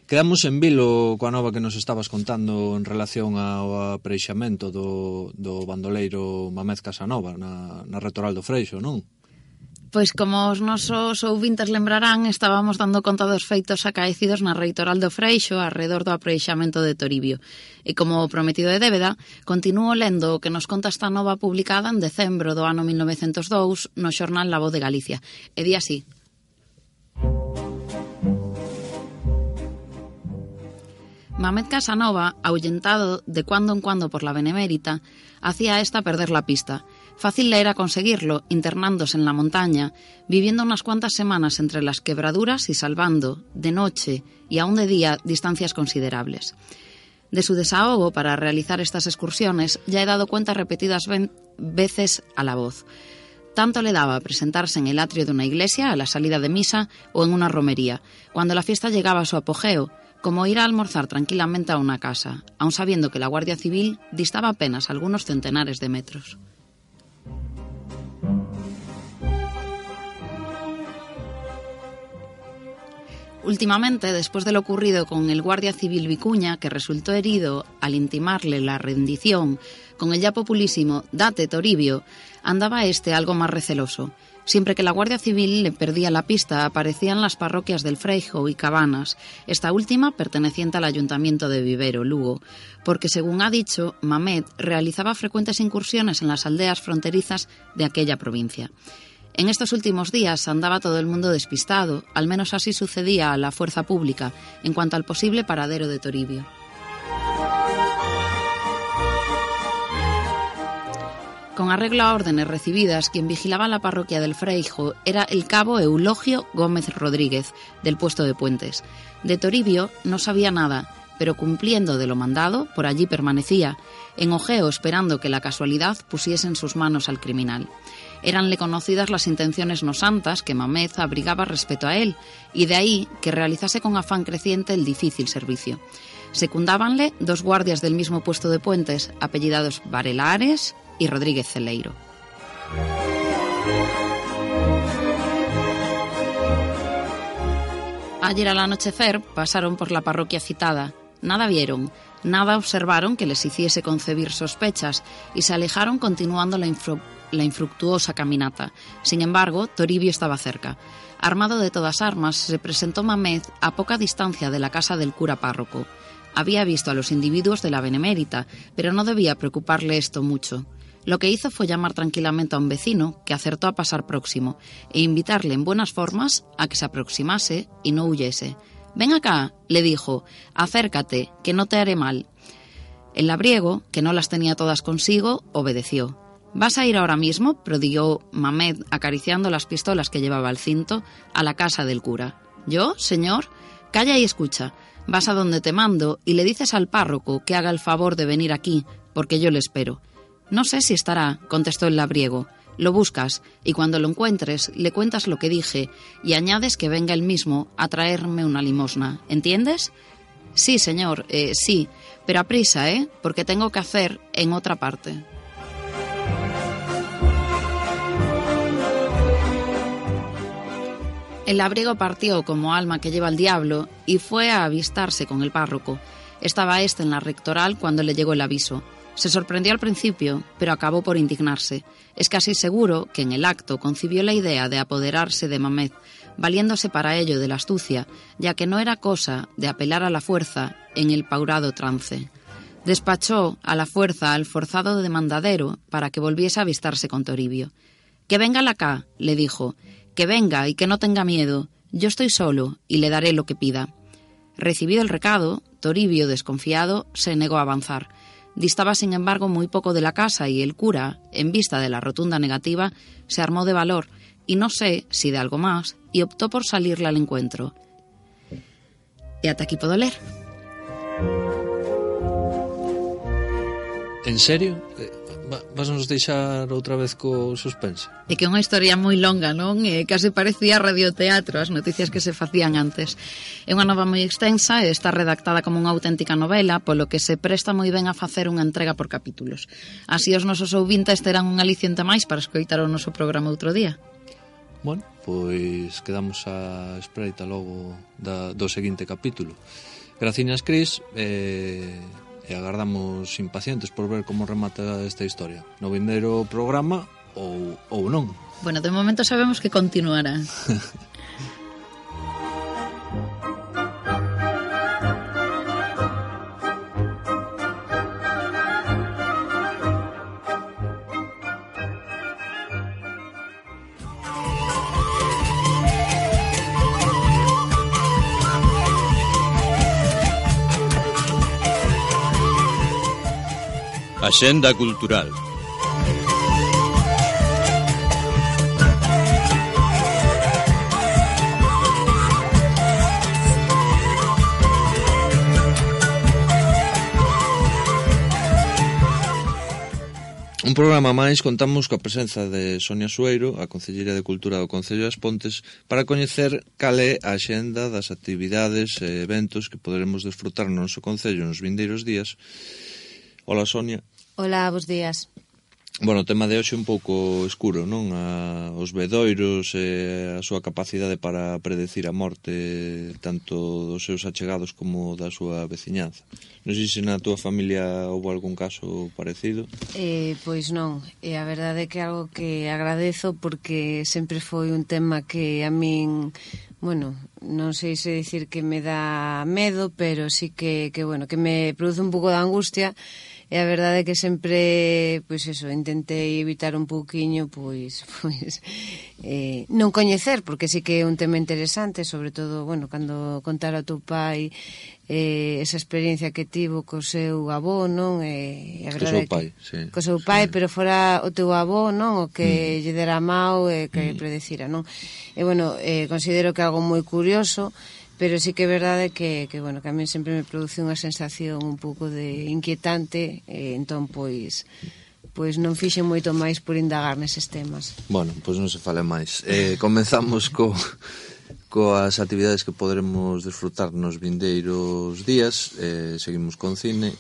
Quedamos en vilo coa nova que nos estabas contando en relación ao apreixamento do bandoleiro Mamed Casanova na Retoral do Freixo, non? Pois como os nosos ouvintes lembrarán, estábamos dando conta dos feitos acaecidos na Reitoral do Freixo arredor do apreixamento de Toribio. E como prometido de débeda, continúo lendo o que nos conta esta nova publicada en decembro do ano 1902 no xornal La Voz de Galicia. E di así: Mamed Casanova, ahuyentado de cuando en cuando por la Benemérita, hacía a esta perder la pista. Fácil le era conseguirlo, internándose en la montaña, viviendo unas cuantas semanas entre las quebraduras y salvando, de noche y aún de día, distancias considerables. De su desahogo para realizar estas excursiones ya he dado cuenta repetidas veces a La Voz. Tanto le daba presentarse en el atrio de una iglesia a la salida de misa o en una romería, cuando la fiesta llegaba a su apogeo, como ir a almorzar tranquilamente a una casa, aun sabiendo que la Guardia Civil distaba apenas algunos centenares de metros. Últimamente, después de lo ocurrido con el guardia civil Vicuña, que resultó herido al intimarle la rendición, con el ya populísimo «Date, Toribio», andaba algo más receloso. Siempre que la Guardia Civil le perdía la pista, aparecían las parroquias del Freijo y Cabanas, esta última perteneciente al Ayuntamiento de Vivero, Lugo, porque, según ha dicho, Mamed realizaba frecuentes incursiones en las aldeas fronterizas de aquella provincia. En estos últimos días andaba todo el mundo despistado, al menos así sucedía a la fuerza pública, en cuanto al posible paradero de Toribio. Con arreglo a órdenes recibidas, quien vigilaba la parroquia del Freijo era el cabo Eulogio Gómez Rodríguez, del puesto de Puentes. De Toribio no sabía nada, pero cumpliendo de lo mandado, por allí permanecía, en ojeo esperando que la casualidad pusiese en sus manos al criminal. Éranle conocidas las intenciones no santas que Mamed abrigaba respecto a él, y de ahí que realizase con afán creciente el difícil servicio. Secundábanle dos guardias del mismo puesto de Puentes, apellidados Varela Ares y Rodríguez Celeiro. Ayer al anochecer pasaron por la parroquia citada. Nada vieron, nada observaron que les hiciese concebir sospechas y se alejaron continuando la infructuosa caminata. Sin embargo, Toribio estaba cerca. Armado de todas armas, se presentó Mamed a poca distancia de la casa del cura párroco. Había visto a los individuos de la Benemérita, pero no debía preocuparle esto mucho. Lo que hizo fue llamar tranquilamente a un vecino, que acertó a pasar próximo, e invitarle en buenas formas a que se aproximase y no huyese. «Ven acá», le dijo, «acércate, que no te haré mal». El labriego, que no las tenía todas consigo, obedeció. «¿Vas a ir ahora mismo?», prodigó Mamed, acariciando las pistolas que llevaba al cinto, «a la casa del cura». «¿Yo, señor? Calla y escucha. Vas a donde te mando y le dices al párroco que haga el favor de venir aquí, porque yo le espero». «No sé si estará», contestó el labriego. «Lo buscas y cuando lo encuentres le cuentas lo que dije y añades que venga él mismo a traerme una limosna. ¿Entiendes?» «Sí, señor, sí, pero a prisa, porque tengo que hacer en otra parte». El labriego partió como alma que lleva al diablo y fue a avistarse con el párroco. Estaba éste en la rectoral cuando le llegó el aviso. Se sorprendió al principio, pero acabó por indignarse. Es casi seguro que en el acto concibió la idea de apoderarse de Mamed, valiéndose para ello de la astucia, ya que no era cosa de apelar a la fuerza en el paurado trance. Despachó a la fuerza al forzado demandadero para que volviese a avistarse con Toribio. «Que venga acá», le dijo, «que venga y que no tenga miedo. Yo estoy solo y le daré lo que pida». Recibido el recado, Toribio, desconfiado, se negó a avanzar. Distaba, sin embargo, muy poco de la casa y el cura, en vista de la rotunda negativa, se armó de valor, y no sé si de algo más, y optó por salirle al encuentro. E ata aquí podo ler. En serio? Vas nos deixar outra vez co suspense? É que é unha historia moi longa, non? Case parecía radioteatro as noticias que se facían antes. É unha nova moi extensa e está redactada como unha auténtica novela, polo que se presta moi ben a facer unha entrega por capítulos. Así os nosos ouvintes terán un aliciente máis para escoitar o noso programa outro día. Bueno, pois quedamos á espreita logo do seguinte capítulo. Graciñas, Cris, e agardamos impacientes por ver como remata esta historia. No vindeiro programa ou non. Bueno, de momento sabemos que continuará. Axenda cultural. Un programa máis contamos coa presenza de Sonia Sueiro, a Concelleira de Cultura do Concello das Pontes, para coñecer cal é a axenda das actividades e eventos que poderemos desfrutar no noso Concello nos vindeiros días. Hola, Sonia. Hola, bos días. Bueno, o tema de hoxe un pouco escuro, non? Os vedoiros e a súa capacidade para predecir a morte tanto dos seus achegados como da súa veciñanza. Non sei se na túa familia houve algún caso parecido. Pois non, e a verdade é que é algo que agradezo porque sempre foi un tema que a min, bueno, non sei se dicir que me dá medo, pero sí que bueno, que me produce un pouco de angustia. E a verdade é que sempre, pois eso, intentei evitar un pouquiño, pois non coñecer, porque sí que é un tema interesante, sobre todo, bueno, cando contar ao teu pai esa experiencia que tivo co seu avó, non? E a verdade co seu pai, sí. Co seu pai, sí. Pero fora o teu avó, non? O que lle dera mau e que predecira, non? E, bueno, considero que é algo moi curioso, pero sí que é verdade que bueno, que a mí sempre me produce unha sensación un pouco de inquietante, entón, pois non fixen moito máis por indagar neses temas. Bueno, pois non se fale máis. Comenzamos coas actividades que poderemos desfrutar nos vindeiros días. Seguimos con cine.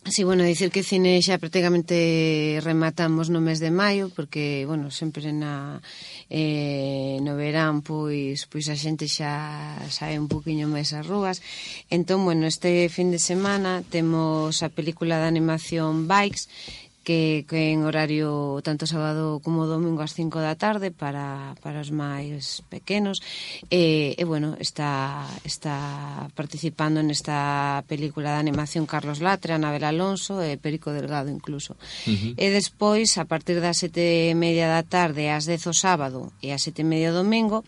Sí, bueno, dicir que cine xa prácticamente rematamos no mes de maio, porque, bueno, sempre no verán, pois a xente xa sae un poquinho máis ás rúas. Entón, bueno, este fin de semana temos a película de animación Bikes, que en horario tanto sábado como domingo ás 5 da tarde para os máis pequenos, e bueno, está participando nesta película de animación Carlos Latre, Anabel Alonso e Perico Delgado incluso. E despois, a partir das 7:30 da tarde ás 10 o sábado e ás 7:30 o domingo,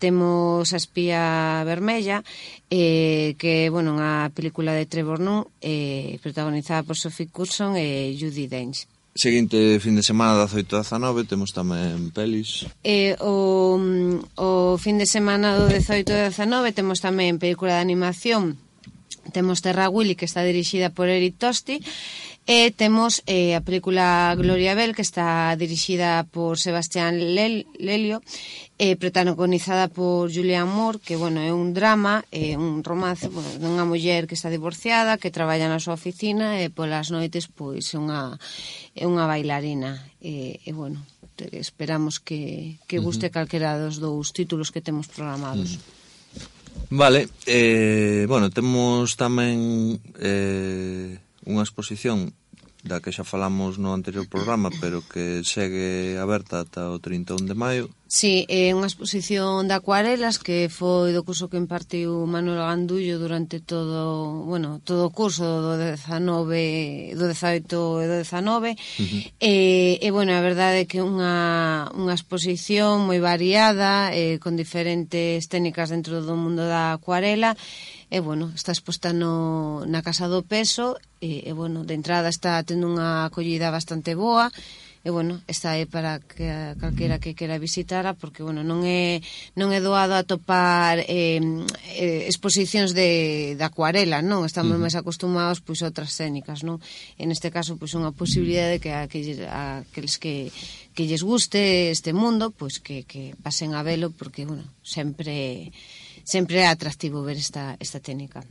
temos A espía vermella, que, bueno, unha película de Trevor Nunn, protagonizada por Sophie Coulson e Judi Dench. Seguinte fin de semana da 18-19 temos tamén pelis. O fin de semana do 18-19 temos tamén película de animación. Temos Terra Willy, que está dirixida por Eric Tosti, e temos a película Gloria Bell, que está dirixida por Sebastián Lelio, protagonizada por Julianne Moore, que, bueno, é un drama, un romance, bueno, dunha muller que está divorciada, que traballa na súa oficina e polas noites, pois, é unha bailarina. E bueno, esperamos que guste calquera dos dous títulos que temos programados. Vale, bueno, temos tamén unha exposición da que xa falamos no anterior programa, pero que segue aberta ata o 31 de maio. Sí, é unha exposición de acuarelas que foi do curso que impartiu Manuel Gandullo durante todo o curso do 18 e do 19. E bueno, a verdade é que unha exposición moi variada, con diferentes técnicas dentro do mundo da acuarela. E, bueno, está exposta na Casa do Peso, e bueno, de entrada está tendo unha acollida bastante boa, bueno, está aí para que calquera que quera visitara, porque, bueno, non é doado atopar exposicións de acuarela, non? Estamos máis acostumados, pois, a outras técnicas, non? En este caso, pois, unha posibilidade que aqueles que lles guste este mundo, pois, que pasen a velo, porque, bueno, sempre é atractivo ver esta técnica.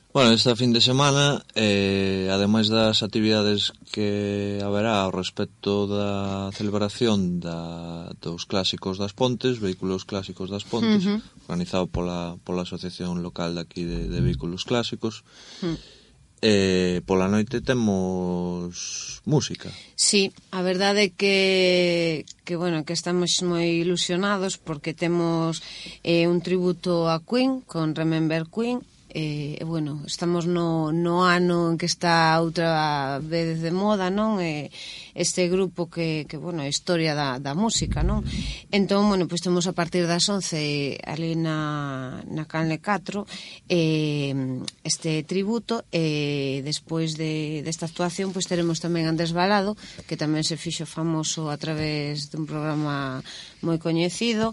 Bueno, esta fin de semana, ademais das actividades que haberá ao respecto da celebración dos clásicos das Pontes, vehículos clásicos das Pontes, organizado pola asociación local daqui de vehículos clásicos, pola noite temos música. Sí, a verdade é que bueno, que estamos moi ilusionados porque temos un tributo a Queen con Remember Queen. Bueno, estamos no ano en que está outra vez de moda, non? Este grupo que bueno, é historia da música, non? Entón, bueno, pois temos a partir das 11 ali na Canle 4 este tributo, despois desta actuación pois teremos tamén Andrés Balado, que tamén se fixo famoso a través dun programa moi coñecido,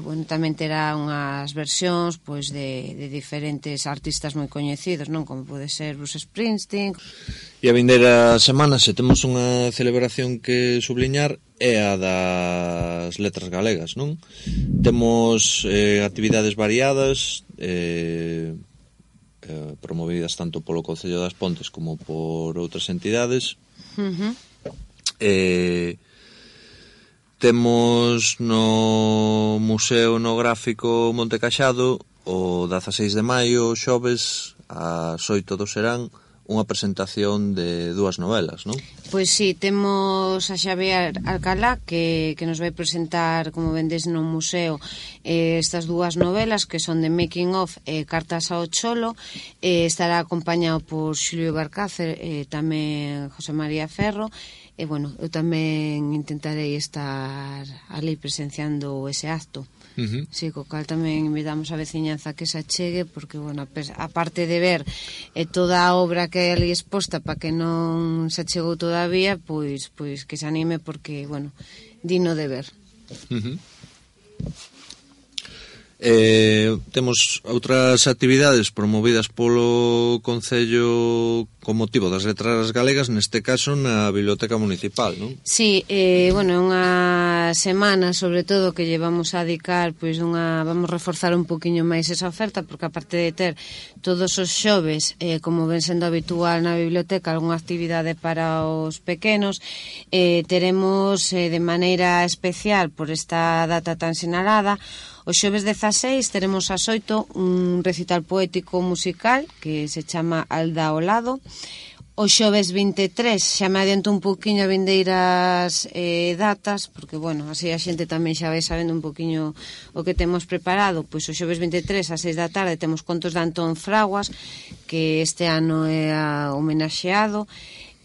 bueno, tamén terá unhas versións pois de diferentes artistas moi coñecidos, non? Como pode ser Bruce Springsteen. E a vindeira semana, se temos unha celebración que subliñar, é a das letras galegas, non? Temos actividades variadas, promovidas tanto polo Concello das Pontes como por outras entidades. Temos no Museo Etnográfico Monte Caxado o 16 de maio, xoves, ás 8 do serán, unha presentación de dúas novelas, non? Pois sí, temos a Xavier Alcalá que nos vai presentar, como vendes no museo, estas dúas novelas que son de Making of Cartas ao Cholo. Estará acompañado por Xulio Barcácer, tamén José María Ferro. E, bueno, eu tamén intentarei estar ali presenciando ese acto. Sí, co cal tamén invitamos a veciñanza que se achegue, porque, bueno, a parte de ver toda a obra que hai ali exposta para que non se achegou todavía, pois que se anime, porque, bueno, digno de ver. Temos outras actividades promovidas polo Concello con motivo das letras galegas, neste caso na Biblioteca Municipal, non? Sí, bueno, é unha semana sobre todo que llevamos a dedicar, pois vamos reforzar un poquinho máis esa oferta, porque aparte de ter todos os xoves, como ven sendo habitual na biblioteca, algunha actividade para os pequenos, teremos de maneira especial por esta data tan sinalada. Os xoves 16 teremos ás 8 un recital poético musical que se chama Alda ao Lado. Os xoves 23, xa me adianto un poquinho a vindeiras datas, porque, bueno, así a xente tamén xa vai sabendo un poquinho o que temos preparado. Pois os xoves 23 ás 6 da tarde temos contos de Antón Fraguas, que este ano é homenaxeado.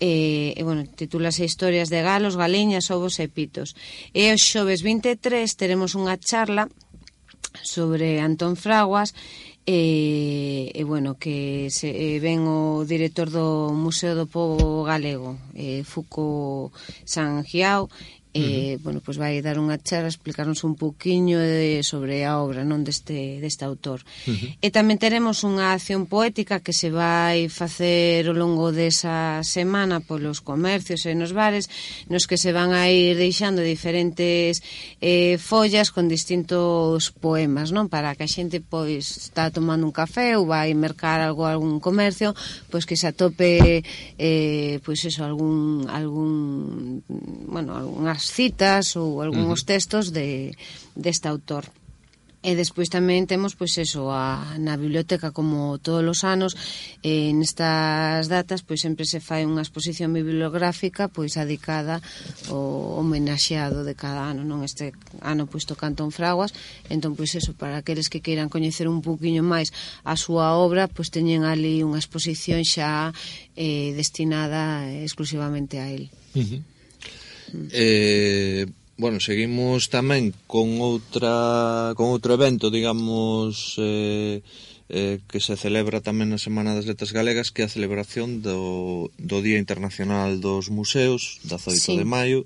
Bueno, titúlase Historias de galos, galiñas, ovos e pitos. E os xoves 23 teremos unha charla sobre Antón Fraguas, bueno, que ven o director do Museo do Pobo Galego, Fuco Sangiao. Bueno, pois vai dar unha charla, explicarnos un poquinho sobre a obra, non, deste autor. E tamén teremos unha acción poética que se vai facer ao longo desa semana polos comercios e nos bares, nos que se van a ir deixando diferentes follas con distintos poemas, non? Para que a xente pois está tomando un café ou vai mercar algún comercio, pois que se atope pois eso, algún bueno, algunhas citas ou algúns textos deste autor. E despois tamén temos, pois eso, na biblioteca, como todos os anos, nestas datas, pois sempre se fai unha exposición bibliográfica pois dedicada ao homenaxeado de cada ano, non? Este ano pois toca Antón Fraguas, entón pois eso, para aqueles que queiran coñecer un pouquiño máis a súa obra, pois teñen ali unha exposición xa destinada exclusivamente a él. Bueno, seguimos tamén con outro evento, digamos, que se celebra tamén na Semana das Letras Galegas, que é a celebración do Día Internacional dos Museos, 18 de maio,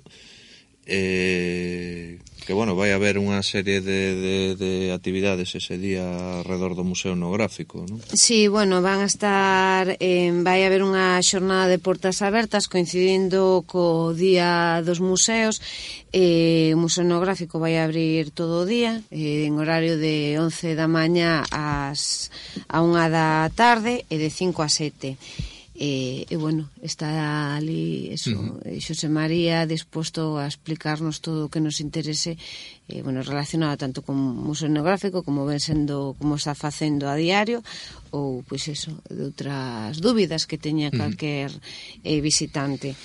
que, bueno, vai haber unha serie de actividades ese día alrededor do Museo Etnográfico, non? Sí, bueno, van a estar, vai haber unha xornada de portas abertas coincidindo co Día dos Museos. O Museo Etnográfico vai abrir todo o día, en horario de 11 da mañá a 1 da tarde e de 5 a 7. E bueno, está ali eso, Xosé María disposto a explicarnos todo o que nos interese, bueno, relacionado tanto con o Museo Etnográfico como ven sendo, como está facendo a diario, ou pois eso, de outras dúbidas que teña calquer visitante.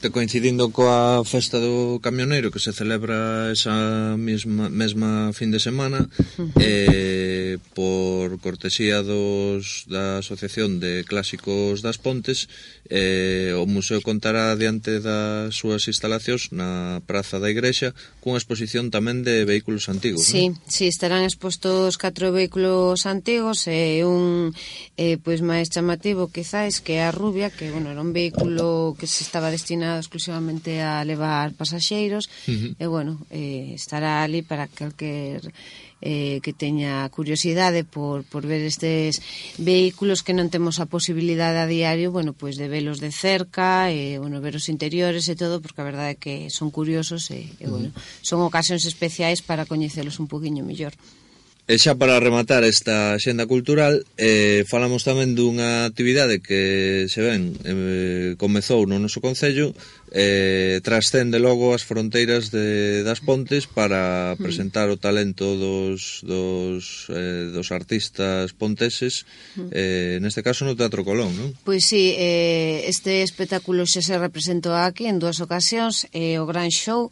Coincidindo coa festa do camioneiro que se celebra esa mesma fin de semana, por cortesía da Asociación de Clásicos das Pontes, o museo contará diante das súas instalacións na Praza da Igrexa cunha exposición tamén de vehículos antigos. Sí, non? Sí, estarán expostos 4 vehículos antigos e un pois máis chamativo quizás que é a Rubia, que bueno, era un vehículo que se estaba destinado exclusivamente a levar pasaxeiros, e bueno, estará ali para calquer que teña curiosidade por ver estes vehículos que non temos a posibilidade a diario, bueno, pois de velos de cerca, bueno, ver os interiores e todo, porque a verdade é que son curiosos e bueno, son ocasións especiais para coñecelos un poquinho mellor. E xa para rematar esta xenda cultural, falamos tamén dunha actividade que se ven, comezou no noso concello, trascende logo as fronteiras das Pontes para presentar o talento dos artistas ponteses, neste caso no Teatro Colón, non? Pois sí, este espectáculo xa se representou aquí en 2 ocasións, o Gran Show,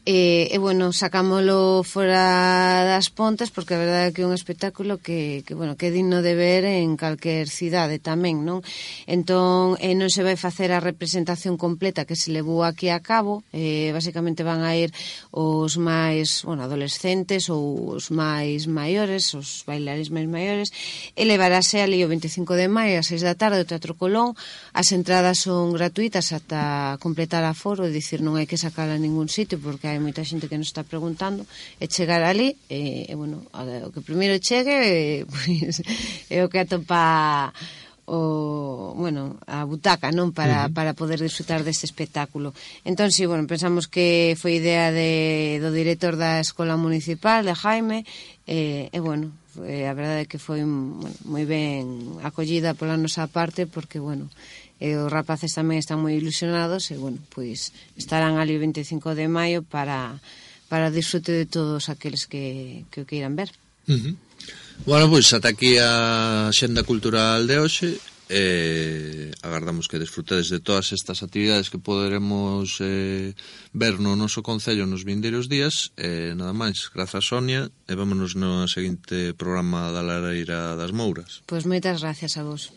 e bueno, sacámolo fora das Pontes porque a verdade é que é un espectáculo que bueno, que é digno de ver en calquer cidade tamén, non? Entón, non se vai facer a representación completa que se levou aquí a cabo, basicamente van a ir os máis, bueno, adolescentes ou os máis maiores, os bailarines máis maiores, e levarase ali o 25 de maio a 6 da tarde do Teatro Colón. As entradas son gratuitas ata completar aforo, é dicir, non hai que sacarla en ningún sitio porque hai moita xente que nos está preguntando, e chegar ali, e bueno, o que primeiro chegue, pois, é o que atopa a butaca, non, para poder disfrutar deste espectáculo. Entón, sí, bueno, pensamos que foi idea do director da Escola Municipal, de Jaime, e bueno, a verdade é que foi moi ben acollida pola nosa parte, porque, bueno, os rapaces tamén están moi ilusionados, e, bueno, pois estarán ali o 25 de maio para disfrute de todos aqueles que o queiran ver. Bueno, pois ata aquí a xenda cultural de hoxe. Agardamos que desfrutedes de todas estas actividades que poderemos ver no noso concello nos vindeiros días. Nada máis, grazas Sonia, e vámonos no seguinte programa da Lareira das Mouras. Pois moitas gracias a vos.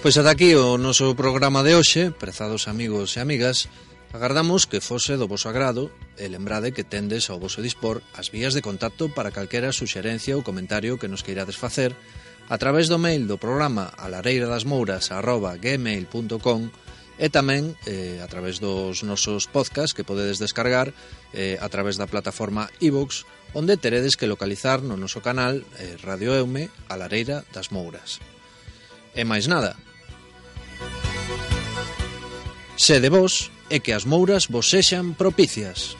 Pois ata aquí o noso programa de hoxe, prezados amigos e amigas. Agardamos que fose do voso agrado e lembrade que tendes ao voso dispor as vías de contacto para calquera suxerencia ou comentario que nos queirades facer a través do mail do programa alareiradasmouras@gmail.com e tamén a través dos nosos podcasts que podedes descargar a través da plataforma iVoox, onde teredes que localizar no noso canal Radio Eume a Lareira das Mouras. E máis nada. Sede vos e que as mouras vos sexan propicias.